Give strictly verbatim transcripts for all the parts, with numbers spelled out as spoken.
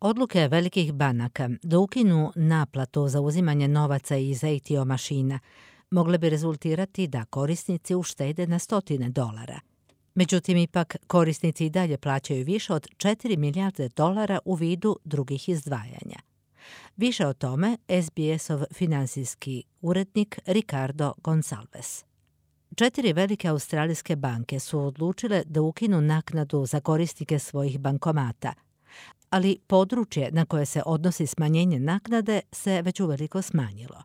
Odluke velikih banaka da ukinu naplatu za uzimanje novaca iz A T M mašina mogle bi rezultirati da korisnici uštede na stotine dolara. Međutim, ipak korisnici i dalje plaćaju više od četiri milijarde dolara u vidu drugih izdvajanja. Više o tome S B S-ov finansijski urednik Ricardo Gonçalves. Četiri velike australijske banke su odlučile da ukinu naknadu za korisnike svojih bankomata, ali područje na koje se odnosi smanjenje naknade se već uveliko smanjilo.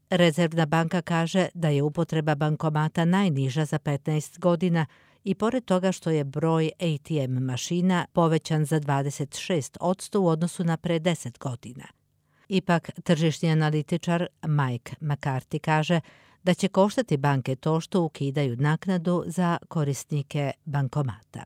Rezervna banka kaže da je upotreba bankomata najniža za petnaest godina i pored toga što je broj A T M mašina povećan za dvadeset šest posto u odnosu na pre deset godina. Ipak, tržišni analitičar Mike McCarthy kaže da će koštati banke to što ukidaju naknadu za korisnike bankomata.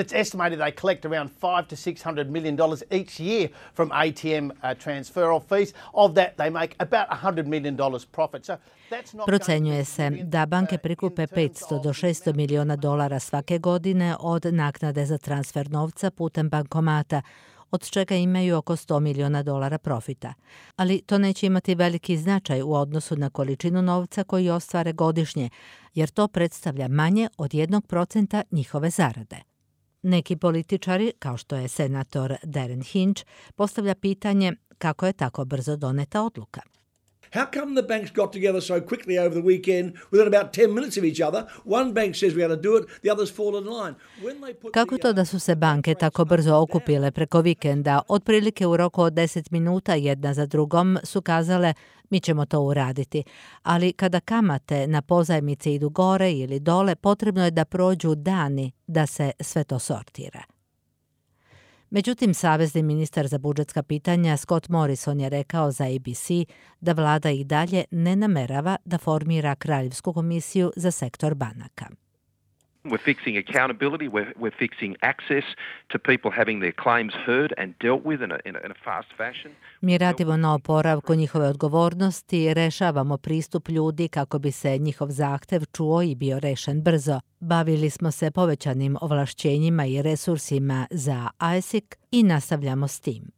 It's estimated they collect around five to six hundred million dollars each year from A T M uh, transferal fees. Of that, they make about one hundred million dollars profit. So that's not. Procenjuje se da banke prikupe petsto do šesto miliona dolara svake godine od naknade za transfer novca putem bankomata, od čega imaju oko sto miliona dolara profita. Ali to neće imati veliki značaj u odnosu na količinu novca koji ostvare godišnje, jer to predstavlja manje od jednog procenta njihove zarade. Neki političari, kao što je senator Darren Hinch, postavlja pitanje kako je tako brzo doneta odluka. How come the banks got together so quickly over the weekend within about ten minutes of each other? One bank says we ought to do it, the others fall in line. When they put Kako to da su se banke tako brzo okupile preko vikenda, otprilike u roku od deset minuta jedna za drugom su kazale mi ćemo to uraditi, ali kada kamate na pozajmice idu gore ili dole, potrebno je da prođu dani da se sve to sortira. Međutim, savezni ministar za budžetska pitanja Scott Morrison je rekao za A B C da vlada i dalje ne namerava da formira kraljevsku komisiju za sektor banaka. We're fixing accountability, we're, we're fixing access to people having their claims heard and dealt with in a, in a, in a fast fashion. Mi radimo na oporavku njihove odgovornosti i rešavamo pristup ljudi kako bi se njihov zahtev čuo i bio rešen brzo. Bavili smo se povećanim ovlašćenjima i resursima za A S I C i nastavljamo s tim.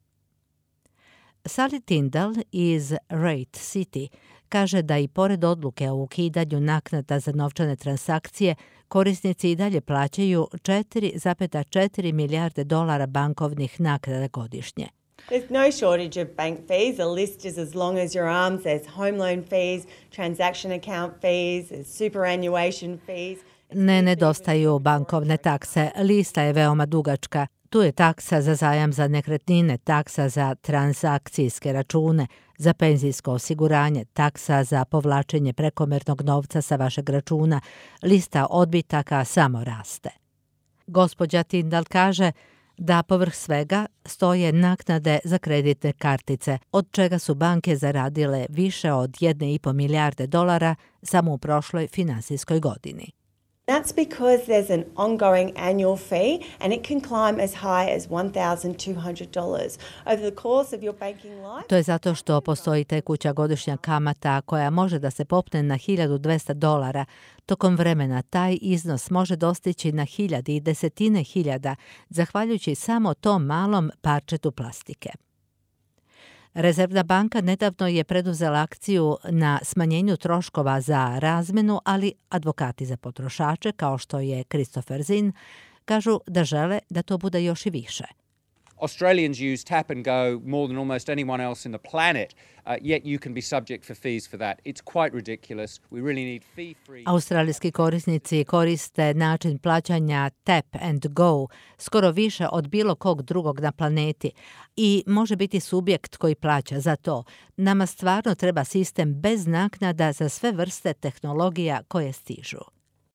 Sally Tyndall iz Rate City kaže da i pored odluke o ukidanju naknada za novčane transakcije, korisnici i dalje plaćaju četiri zarez četiri milijarde dolara bankovnih naknada godišnje. There's no shortage of bank fees. The list is as long as your arms. There's home loan fees, transaction account fees, there's superannuation fees. Ne nedostaju bankovne takse. Lista je veoma dugačka. Tu je taksa za zajam za nekretnine, taksa za transakcijske račune, za penzijsko osiguranje, taksa za povlačenje prekomernog novca sa vašeg računa. Lista odbitaka samo raste. Gospođa Tyndall kaže da povrh svega stoje naknade za kreditne kartice, od čega su banke zaradile više od jedne i po milijarde dolara samo u prošloj finansijskoj godini. That's because there's an ongoing annual fee and it can climb as high as one thousand two hundred dollars. Over the course of your banking life... To je zato što postoji tekuća godišnja kamata koja može da se popne na hiljadu dvesta dolara. Tokom vremena taj iznos može dostići na hiljade i desetine hiljada, zahvaljujući samo tom malom parčetu plastike. Rezervna banka nedavno je preduzela akciju na smanjenju troškova za razmenu, ali advokati za potrošače, kao što je Christopher Zinn, kažu da žele da to bude još i više. Australians use tap and go more than almost anyone else in the planet, uh, yet you can be subject for fees for that. It's quite ridiculous. We really need fee-free... Australijski korisnici koriste način plaćanja tap and go skoro više od bilo kog drugog na planeti i može biti subjekt koji plaća za to. Nama stvarno treba sistem bez naknada za sve vrste tehnologija koje stižu.